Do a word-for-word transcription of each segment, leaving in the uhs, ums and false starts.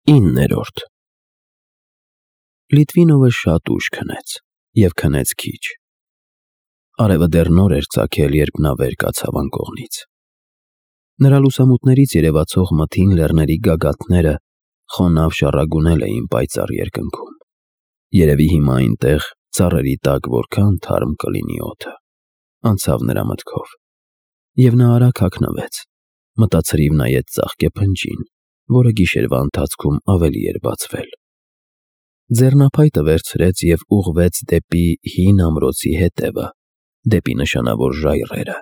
Իններորդ Լիտվինովը շատ ուշ քնեց և քնեց քիչ։ Արևը դեռ նոր էր ծագել, երբ նա վեր կացավ անկողնից։ Նրա լուսամուտներից երևացող մթին լեռների գագաթները խոնավ շառագունել էին պայծառ երկնքում։ Երևի հիմա այնտեղ, ծառերի տակ, որքան թարմ կլինի օդը, անցավ նրա մտքով, և նա արագ հագնվեց, մտացրիվ նայեց ծաղկե փնջին, որը գիշերվա ընթացքում ավելի էր բացվել։ Ձեռնափայտը վերցրեց և ուղղվեց դեպի հին ամրոցի հետևը, դեպի նշանավոր ժայռերը։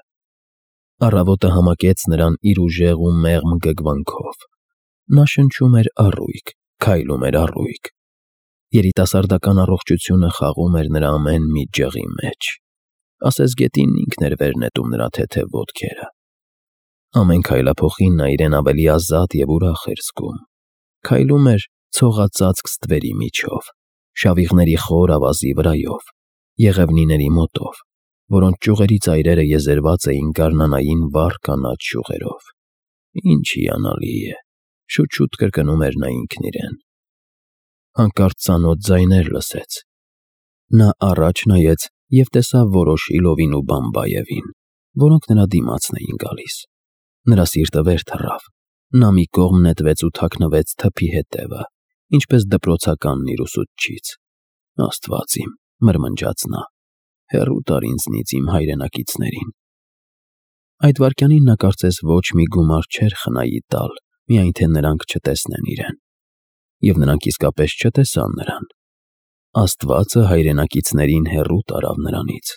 Առավոտը համակեց նրան իր ուժեղ ու մեղմ գգվանքով։ Նա շնչում էր առույգ, քայլում էր առույգ։ Երիտասարդական առողջությունը խաղում էր նրա ամեն մի ջղի մեջ, ասես գետինն ինքն էր վեր նետում նրա թեթև ոտքերը։ Ամեն քայլափոխին նա իրեն ավելի ազատ և ուրախ էր զգում։ Քայլում էր ցողածածկ ստվերի միջով, շավիղների խոր ավազի վրայով, եղևնիների մոտով, որոնց ճյուղերի ծայրերը եզերված էին գարնանային վառ կանաչ շյուղերով։ Ինչ հիանալի է, շուտ-շուտ կրկնում էր նա ինքն իրեն։ Հանկարծ ծանոթ ձայներ լսեց։ Նա առաջ նայեց և տեսավ Վորոշիլովին ու Բամբայևին, որոնք նրա դիմացն էին գալիս։ Նրա սիրտը վեր թռավ։ Նա մի կողմ նետվեց ու թաքնվեց թփի հետևը, ինչպես դպրոցականն իր ուսուցչից։ Աստված իմ, մրմնջաց նա, հեռու տար ինձնից իմ հայրենակիցներին։ Այդ վայրկյանին նա կարծես ոչ մի գումար չէր խնայի տալ, միայն թե նրանք չտեսնեն իրեն։ Եվ նրանք իսկապես չտեսան նրան։ Աստվածը հայրենակիցներին հեռու տարավ նրանից։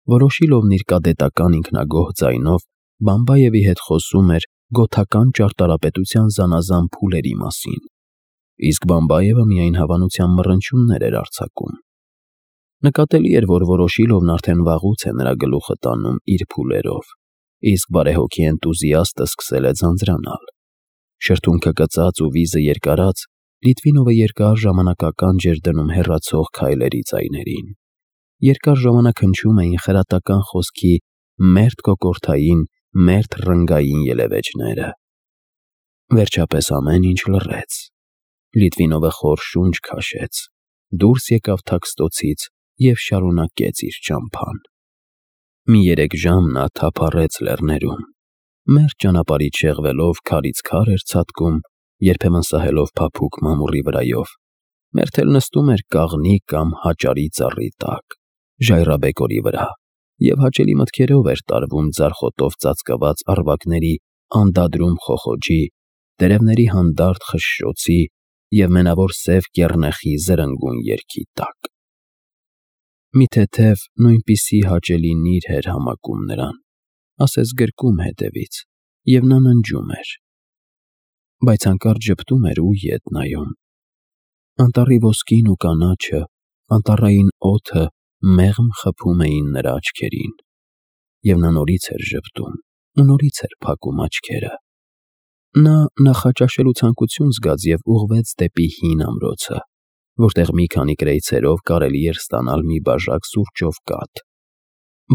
Վորոշիլովն իր կադետական ինքնագոհ ձայնով Բամբայևի հետ խոսում էր գոթական ճարտարապետության զանազան փուլերի մասին, իսկ Բամբայևը միայն հավանության մռնչյուններ էր արձակում։ Նկատելի էր, որ Վորոշիլովն արդեն վաղուց է նրա գլուխը տանում իր փուլերով, իսկ բարեհոգի էնտուզիաստը սկսել է ձանձրանալ։ Շրթունքը կծած ու վիզը երկարած, Լիտվինովը երկար ժամանակ ականջ էր դնում հեռացող քայլերի ձայներին։ Երկար ժամանակ հնչում էին խրատական խոսքի մերթ կոկորդային, մերթ ռնգային ելևէջները։ Վերջապես ամեն ինչ լռեց։ Լիտվինովը խոր շունչ քաշեց, դուրս եկավ թաքստոցից և շարունակեց իր ճամփան։ Մի երեք ժամ նա թափառեց լեռներում, մերթ ճանապարհից շեղվելով քարից քար էր ցատկում, երբեմն սահելով փափուկ մամուռի վրայով, մերթ էլ նստում էր կաղնի կամ հաճարի ծառի տակ, ժայռաբեկորի վրա, և հաճելի մտքերով էր տարվում ձարխոտով ծածկված առվակների անդադրում խոխոջի, տերևների հանդարտ խշշոցի և մենավոր սև կեռնեխի զրնգուն երգի տակ։ Մի թեթև, նույնպիսի հաճելի նիրհ էր համակում նրան, ասես գրկում հետևից, և նա ննջում էր։ Բայց հանկարծ ժպտում էր ու ետ նայում։ Անտառի ոսկին ու կանաչը, անտառային օդը մեղմ խփում էին նրա աչքերին, և նա նորից էր ժպտում ու նորից էր փակում աչքերը։ Նա նախաճաշելու ցանկություն զգաց և ուղղվեց դեպի հին ամրոցը, որտեղ մի քանի կրեյցերով կարելի էր ստանալ մի բաժակ սուրճով կաթ։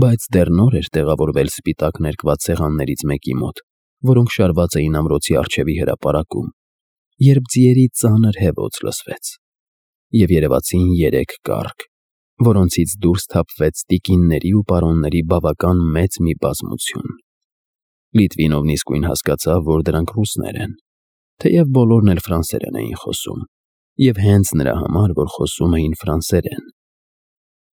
Բայց դեռ նոր էր տեղավորվել սպիտակ ներկված սեղաններից մեկի մոտ, որոնք շարված էին ամրոցի առջևի հրապարակում, երբ ձիերի ծանր հևոց լսվեց, և երևացին երեք կառք, որոնցից դուրս թափվեց տիկինների ու պարոնների բավական մեծ մի բազմություն։ Լիտվինովն իսկույն հասկացավ, որ դրանք ռուսներ են, թեև բոլորն էլ ֆրանսերեն էին խոսում, և հենց նրա համար, որ խոսում էին ֆրանսերեն։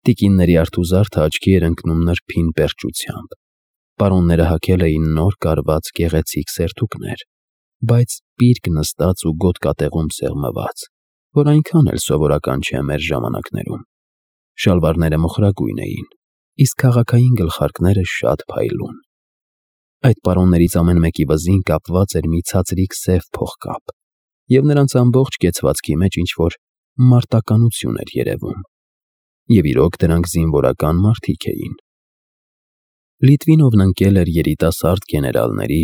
Տիկինների արթուզարդը աչքի էր ընկնում նրբին պերճությամբ։ Պարոնները հագել էին նոր կարված գեղեցիկ սերթուկներ, բայց պիրկ նստած ու գոտկատեղում սեղմված, որ այնքան էլ սովորական չէ մեր ժամանակներում։ Շալվարները մոխրագույն էին, իսկ քաղաքային գլխարկները շատ փայլուն։ Այդ պարոններից ամեն մեկի վզին կապված էր մի ցածրիկ սև փողկապ, և նրանց ամբողջ կեցվածքի մեջ ինչ-որ մարտականություն էր երևում։ Եվ իրոք դրանք զինվորական մարդիկ էին։ Լիտվինովն ընկել էր երիտասարդ գեներալների,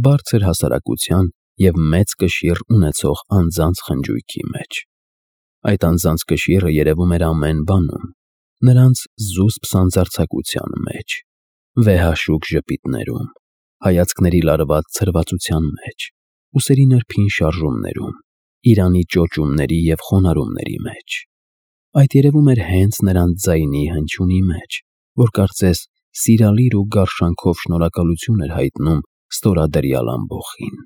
բարձր հասարակության և մեծ կշիռ ունեցող անձանց խնջույքի մեջ։ Այդ անձանց կշիռը երևում էր ամեն բանում, նրանց զուսպ սանձարձակության մեջ, վեհաշուք ժպիտներում, հայացքների լարված ցրվածության մեջ, ուսերի նրբին շարժումներում, Իրանի ճոճումների և խոնարհումների մեջ։ Այդ երևում էր հենց նրանց ձայնի հնչյունի մեջ, որ կարծես սիրալիր ու գարշանքով շնորհակալություն էր հայտնում ստորադրյալ ամբոխին։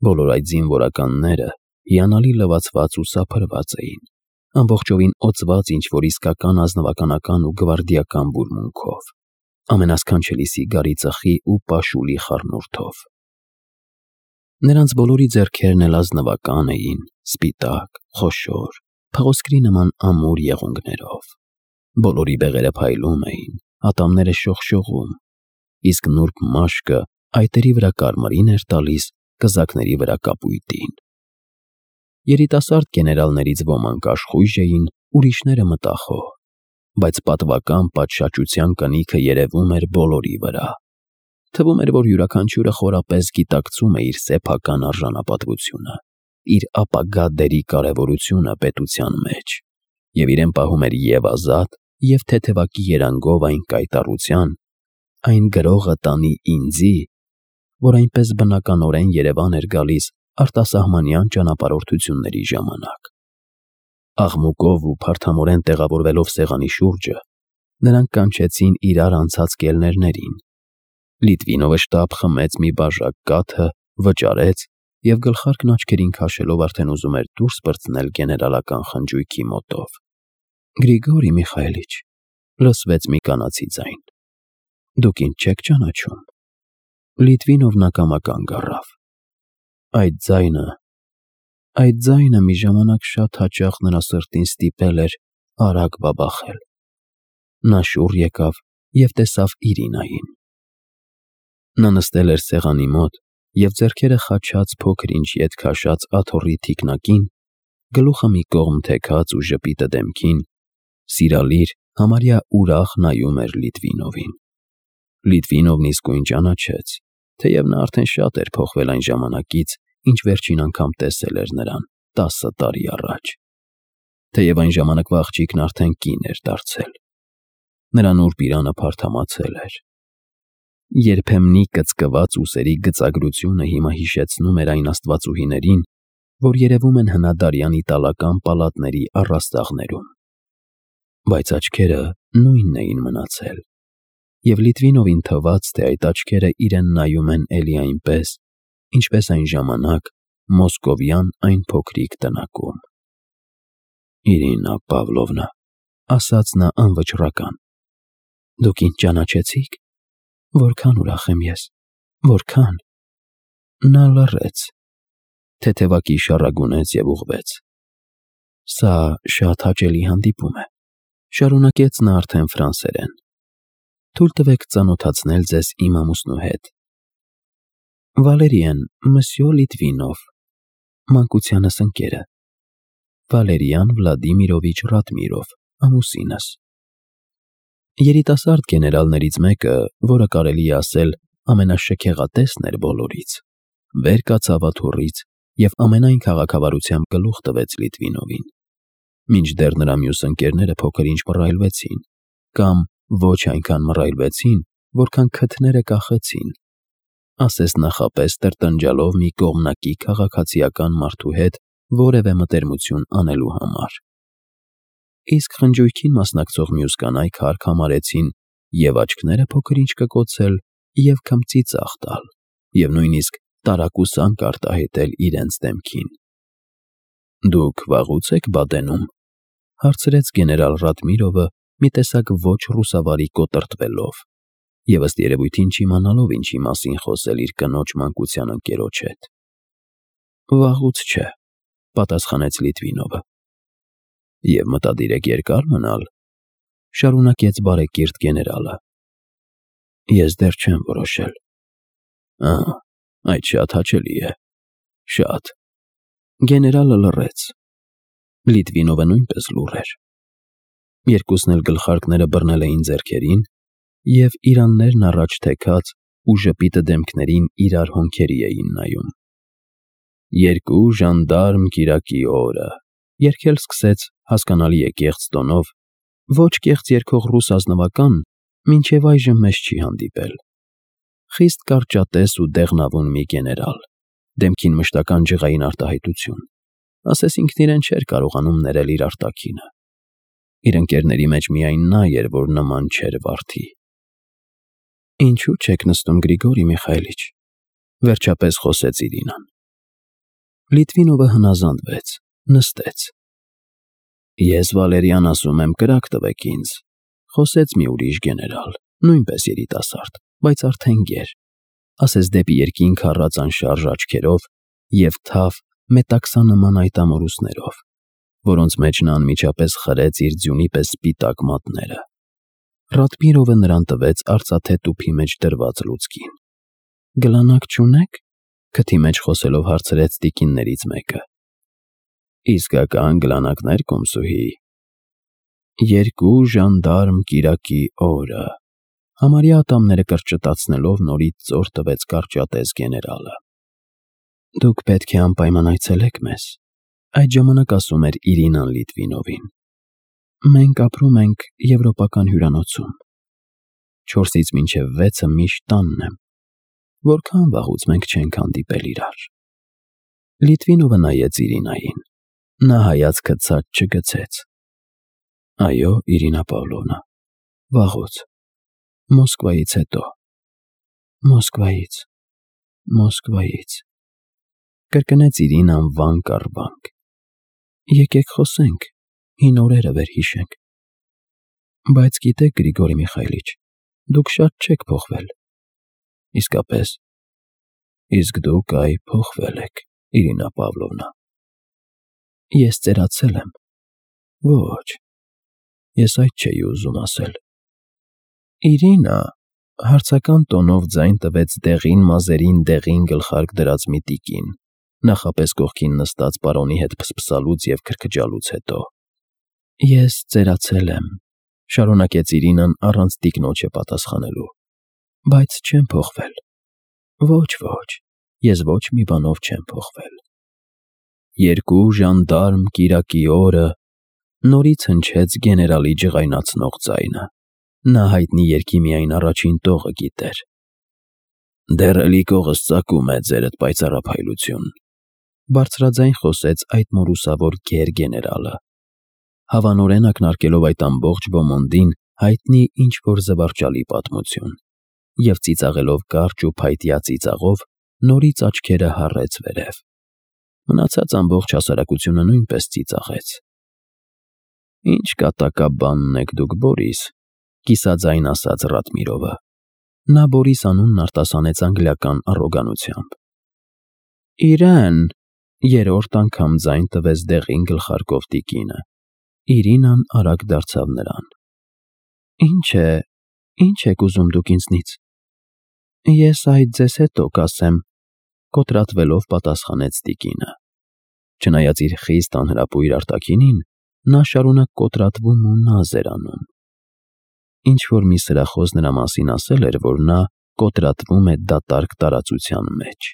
Բոլոր այդ զինվորականները հիանալի լվացված ու սափրված էին, ամբողջովին օծված ինչ-որ իսկական ազնվականական ու գվարդիական բուրմունքով, ամենասքանչելի սիգարի ծխի ու պաշուլի խառնուրդով։ Նրանց բոլորի ձեռքերն էլ ազնվական էին, սպիտակ, խոշոր, փղոսկրի նման ամուր եղունգներով։ Բոլորի բեղերը փայլում էին, ատամները շողշողում, իսկ նուրբ մաշկը այտերի վրա կարմիրին էր տալիս կզակների վրա կապույտին։ Երիտասարդ գեներալներից ոմանք աշխույժ էին, ուրիշները մտախոհ, բայց պատվական պատշաճության կնիքը երևում էր բոլորի վրա։ Թվում էր, որ յուրաքանչյուրը խորապես գիտակցում է իր սեփական արժանապատվությունը, իր ապագա դերի կարևորությունը պետության մեջ, և իրեն պահում էր և ազատ, և թեթևակի երանգով այն կայտառության, այն գրողը տանի ինձի, որ այնպես բնականորեն Երևան էր գալիս արտասահմանյան ճանապարհորդությունների ժամանակ։ Աղմուկով ու փարթամորեն տեղավորվելով սեղանի շուրջը, նրանք կանչեցին իրար անցած կելներներին։ Լիտվինովը շտապ խմեց մի բաժակ կաթը, վճարեց և գլխարկն աչքերին քաշելով արդեն ուզում էր դուրս պրծնել գեներալական խնջույքի մոտով։ Գրիգորի Միխայելիչ, լսվեց մի կանացի ձայն։ Դուք ինձ չեք ճանաչում։ Լիտվինովն ակամա կանգ առավ։ Այդ ձայնը, այդ ձայնը մի ժամանակ շատ հաճախ նրա սրտին ստիպել էր արագ բաբախել։ Նա շուռ եկավ և տեսավ Իրինային։ Նա նստել էր սեղանի մոտ և ձեռքերը խաչած փոքր-ինչ ետ քաշած աթոռի թիկնակին, գլուխը մի կողմ թեքած ու ժպիտը դեմքին, սիրալիր, համարյա ուրախ նայում էր Լիտվինովին։ Լիտվինովն իսկույն ճանաչեց, թեև նա արդեն շատ էր փոխվել այն ժամանակից, ինչ վերջին անգամ տեսել էր նրան տասը տարի առաջ։ Թեև այն ժամանակվա աղջիկն արդեն կին էր դարձել։ Նրա նուրբ իրանը փարթամացել էր։ Երբեմնի կծկված ուսերի գծագրությունը հիմա հիշեցնում էր այն աստվածուհիներին, որ երևում են հնադարյան իտալական պալատների առաստաղներում։ Բայց աչքերը նույնն էին մնացել, և Լիտվինովին թվաց, թե այդ աչքերը իրեն նայում են էլի այնպես, ինչպես այն ժամանակ մոսկովյան այն փոքրիկ տնակում։ Իրինա Պավլովնա, ասաց նա անվճռական, դուք ինձ ճանաչեցի՞ք։ Որքան ուրախ եմ ես, որքան։ Նա լռեց, թեթևակի շառագունեց և ուղղվեց։ Սա շատ հաճելի հանդիպում է, շարունակեց նա արդեն ֆրանսերեն։ Թույլ տվեք ծանոթացնել ձեզ իմ ամուսնու հետ։ Վալերիեն, մսյո Լիտվինով, մանկությանս ընկերը, Վալերիան Վլադիմիրովիչ Ռադմիրով, ամուսինս։ Երիտասարդ գեներալներից մեկը, որը կարելի է ասել ամենաշքեղատեսն էր բոլորից, վեր կացավ աթոռից և ամենայն քաղաքավարությամբ գլուխ տվեց Լիտվինովին, մինչդեռ նրա մյուս ընկերները փոքր-ինչ մռայլվեցին, կամ ոչ այնքան մռայլվեցին, որքան քթները կախեցին, ասես նախապես տրտնջալով մի կողմնակի քաղաքացիական մարդու հետ որևէ մտերմություն անելու համար։ Իսկ խնջույքին մասնակցող մյուս կանայք հարկ համարեցին և աչքները փոքր-ինչ կկոցել, և քմծիծաղ տալ, և նույնիսկ տարակուսանք արտահայտել իրենց դեմքին։ Դուք վաղուց եք Բադենում, հարցրեց գեներալ Ռադմիրովը մի տեսակ ոչ ռուսավարի կոտրտվելով և ըստ երևույթին չիմանալով ինչի մասին խոսել իր կնոջ մանկության ընկերոջ հետ։ Վաղուց չէ, պատասխանեց Լիտվինովը։ Եվ մտադիր եք երկա՞ր մնալ, շարունակեց բարեկիրթ գեներալը։ Ես դեռ չեմ որոշել։ Ահա, այդ շատ հաճելի է, շատ։ Գեներալը լռեց։ Լիտվինովը նույնպես լուռ էր։ Երկուսն էլ գլխարկները բռնել էին ձեռքերին և իրաններն առաջ թեքած ու ժպիտը դեմքներին իրար հոնքերի էին նայում։ Երկու ժանդարմ կիրակի օրը, երգել սկսեց հասկանալի է կեղծ տոնով, ոչ կեղծ երգող ռուս ազնվական, մինչև այժմ մեզ չի հանդիպել։ Խիստ կարճատես ու դեղնավուն մի գեներալ, դեմքին մշտական ջղային արտահայտություն, ասես ինքն իրեն չէր կարողանում ներել իր արտաքինը։ Իր ընկերների մեջ միայն նա էր, որ նման չէր վարդի։ Ինչու՞ չեք նստում, Գրիգորի Միխայելիչ, վերջապես խոսեց Իրինան։ Լիտվինովը հնազանդվեց, նստեց։ Ես Վալերիան ասում եմ, կրակ տվեք ինձ, խոսեց մի ուրիշ գեներալ, նույնպես երիտասարդ, բայց արդեն գեր, ասես դեպի երկինք առած անշարժ աչքերով և թավ մետաքսանման այտամորուսներով, որոնց մեջ նա անմիջապես խրեց իր ձյունի պես սպիտակ մատները։ Ռադմիրովը նրան տվեց արծաթե տուփի մեջ դրված լուցկին։ Գլանակ չունե՞ք, քթի մեջ խոսելով հարցրեց տիկիններից մեկը։ Իսկական գլանակներ, կոմսուհի։ Երկու ժանդարմ կիրակի օրը, համարյա ատամները կրճտացնելով նորից ծոր տվեց կարճատև գեներալը։ Դուք պետք է անպայման այցելեք մեզ, այդ ժամանակ ասում էր Իրինան Լիտվինովին։ Մենք ապրում ենք եվրոպական հյուրանոցում։ Չորսից մինչև վեցը միշտ տանն եմ, որքան վաղուց մենք չենք հանդիպել իրար։ Լիտվինովը նայեց Իրինային, նա հայացքը ցած չգցեց։ Այո, Իրինա Պավլովնա, վաղուց, Մոսկվայից հետո։ Մոսկվայից, Մոսկվայից, կրկնեց Իրինան վանք առ վանք։ Եկեք խոսենք, հին օրերը վերհիշենք։ Բայց գիտեք, Գրիգորի Միխայելիչ, դուք շատ չեք փոխվել։ Իսկապես, իսկ դուք այ փոխվել եք, Իրինա Պավլովնա։ Ես ծերացել եմ։ Ոչ, ես այդ չէի ուզում ասել։ Իրինա, հարցական տոնով ձայն տվեց դեղին մազերին դեղին գլխարկ դրած մի տիկին, նախապես կողքին նստած պարոնի հետ փսփսալուց և քրքջալուց հետո։ Ես ծերացել եմ, շարունակեց Իրինան առանց տիկնոջը պատասխանելու, բայց չեմ փոխվել։ Ոչ, ոչ, ես ոչ մի բանով չեմ փոխվել։ Երկու ժանդարմ կիրակի օրը, նորից հնչեց գեներալի ջղայնացնող ձայնը։ Նա հայտնի երգի միայն առաջին տողը գիտեր։ Դեռ էլի կողս ծակում է ձերդ պայծառափայլություն, բարձրաձայն խոսեց այդ մորուսավոր գեր գեներալը, հավանորեն ակնարկելով այդ ամբողջ ոմոնդին հայտնի ինչ-որ զվարճալի պատմություն, և ծիծաղելով կարճ ու փայտյա ծիծաղով նորից աչքերը հառեց վերև։ Մնացած ամբողջ հասարակությունը նույնպես ծիծաղեց։ Ինչ կատակաբանն եք դուք, Բորիս, կիսաձայն ասաց Ռադմիրովը։ Նա Բորիս անունն արտասանեց անգլիական առոգանությամբ։ Իրեն, երրորդ անգամ ձայն տվեց դեղին գլխարկով տիկինը։ Իրինան արագ դարձավ նրան։ Ինչ է, ինչ եք ուզում դուք ինձնից։ Ես այդ ձեզ հետո կասեմ, կոտրատվելով պատասխանեց տիկինը։ Չնայած իր խիստ անհրապույր արտաքինին, նա շարունակ կոտրատվում ու նազ էր անում։ Ինչ-որ մի սրախոս նրա մասին ասել էր, որ նա կոտրատվում է դատարկ տարածության մեջ։